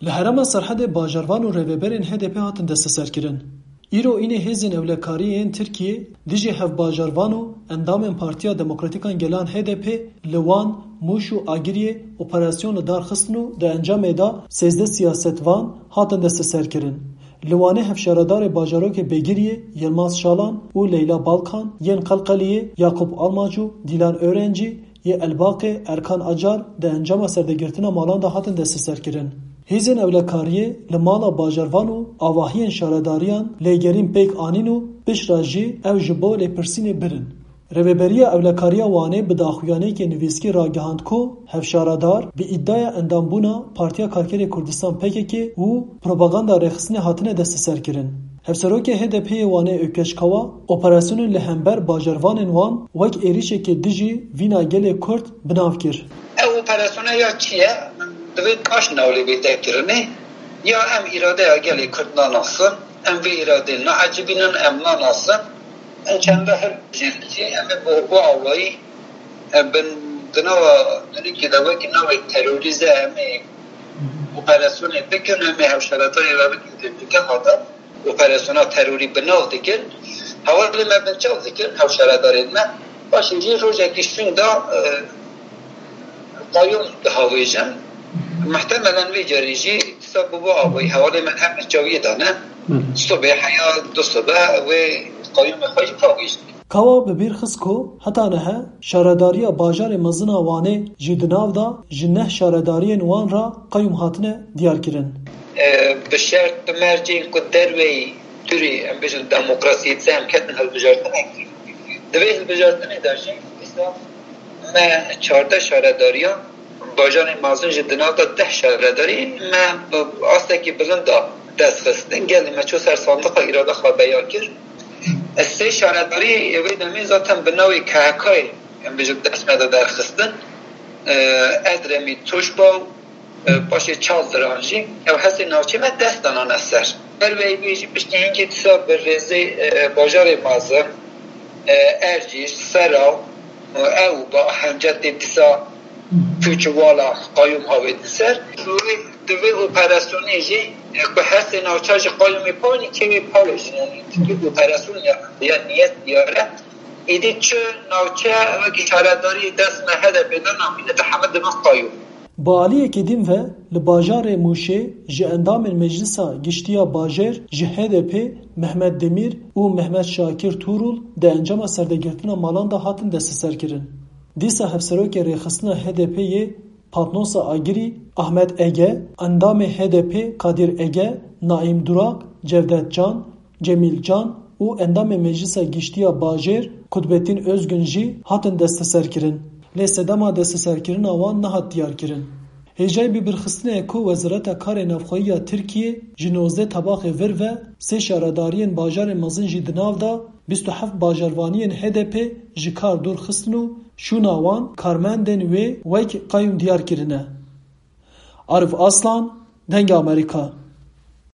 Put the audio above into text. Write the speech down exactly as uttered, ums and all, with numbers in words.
Li herêma Serhedê bajarvan û rêveberên H D P hatin desteserkirin. Îro înê hêzên ewlekariyê yên Tirkiyê dijî hevbajarvan û endamên Partiya Demokratîkan Gelan H D P li Wan, Mûş û Agiriyê operasyon li dar xistin û di encamê de sêzdeh siyasetvan hatin desteserkirin. Li Wanê hevşaredarê bajarokê Begiriyê Yilmaz Şalan û Leyla Balkan, yên Qelqeliyê Yakup Almac û Dîlan Öğrenci, yê Elbaqê Erkan Acar di encama serdegirtina malan de hatin desteserkirin. Hêzên ewlekariyê li mala bajarvan û avahiyên şaredariyan lêgerîn pêk anîn û piştre jî ew ji bo lêpirsînê birin. Rêveberiya Ewlekariya Wanê bi daxuyaniyekê nivîskî ragihand ku hevşaredar bi îdaya endambûna Partiya Karkerê Kurdistan P K K û propaganda rêxistinê hatine desteserkirin. Hevserokê H D P'ê Wanê Ökkeş Kawa operasyonên li hember bajarvanên wan wek êrîşekê dijî vîna gelê Kurd bi nav kir. Ev operasyona ya çi ye? Divê kaş newlê bête kirinê. Ya em îradeya gelê Kurd nanasin, em vê îradê naecibînin, em nanasin. Em çenda her jî em ê bi, bi awayî, em bin di nava dinûkê de wekî navê terorîze em ê operasyonê bikin, em ê hevşaredarê re bikin, têmîke hata operasyona terorî bi nav dikin. Hevalê me binçav dikin, hevşaredarên me. Paşê jî rojekî şûn da, e, qayûm dihavêjin. Muhtemelen vê carê jî dîsa bi bo avayî hevalê me em binçaviyê de ne. Hı. Sibê heya du sibe wê qayûmê xwe jî pavêjin. Kawa bi bîr xist ku heta niha şaredariya bajarê mezin a Wanê jî di nav de ji neh şaredariyên wan re qayûm hatine diyarkirin. E, bi şert, bi mercên ku derveyî dûrî, em bêjin, demokrasiyê dise em ketin hilbijartinek. Di vê hilbijartinê de jî dîsa me çardeh şaredariya bajarên mezin jî di nav de deh şaredarî me bi astekî bilind de dest xistin. Gelê me çû ser sandiqa îrada xwe beyan kir. Sê şaredarî wê demê zaten bi navê K H K'yê, em bêjin, dest me de derxistin. E, Edremî, Tuşba û, e, paşê Çaldiran jî ew hestê navçê me dest danane ser. Derveyî wê jî piştî hingê dîsa bi rêzê, e, bajarê mezin, e, Ercîş, Sera, e, ew ba Hencetê dîsa pûç û wala qayûm havêtin ser. Wê, di vê operasyonê jî, e, ku hestê navça ji qayûmê pawî kêmê pawê jî, yanî, tu operasyon ya, ya niyet diyar e. Êdî çi navçe wekî şaredarî dest me H D P de namîne, di heme dibin qayûm. Bi aliyekî din ve li bajarê Mûşê ji endamên Meclisa Giştî ya Bajêr ji H D P Mehmet Demîr û Mehmet Şakir Tuğrul di encama serdegirtina malan de hatin desteserkirin. Dîsa hevserokê rêxistina H D P'ê yê Patnosa Agirî, Ahmet Ege, endamê H D P Kadir Ege, Naim Durak, Cevdet Can, Cemîl Can û endamê Meclisa Giştî ya Bajêr Kutbettin Özgün jî hatin desteserkirin. Lê sedema desteserkirina wan nehat diyarkirin. Hêjayî bibîrxistinê ye ku Wezareta Karê Navxweyî ya Tirkiyê ji nozdeh tebaxê vir ve sê şaredariyên bajarên mezin jî di nav de bîst û heft bajarvaniyên H D P ji kar dûr xistin û şûna wan karmendên wê wek qayûm diyar kirine. Arif Aslan, Dengê Amerîka.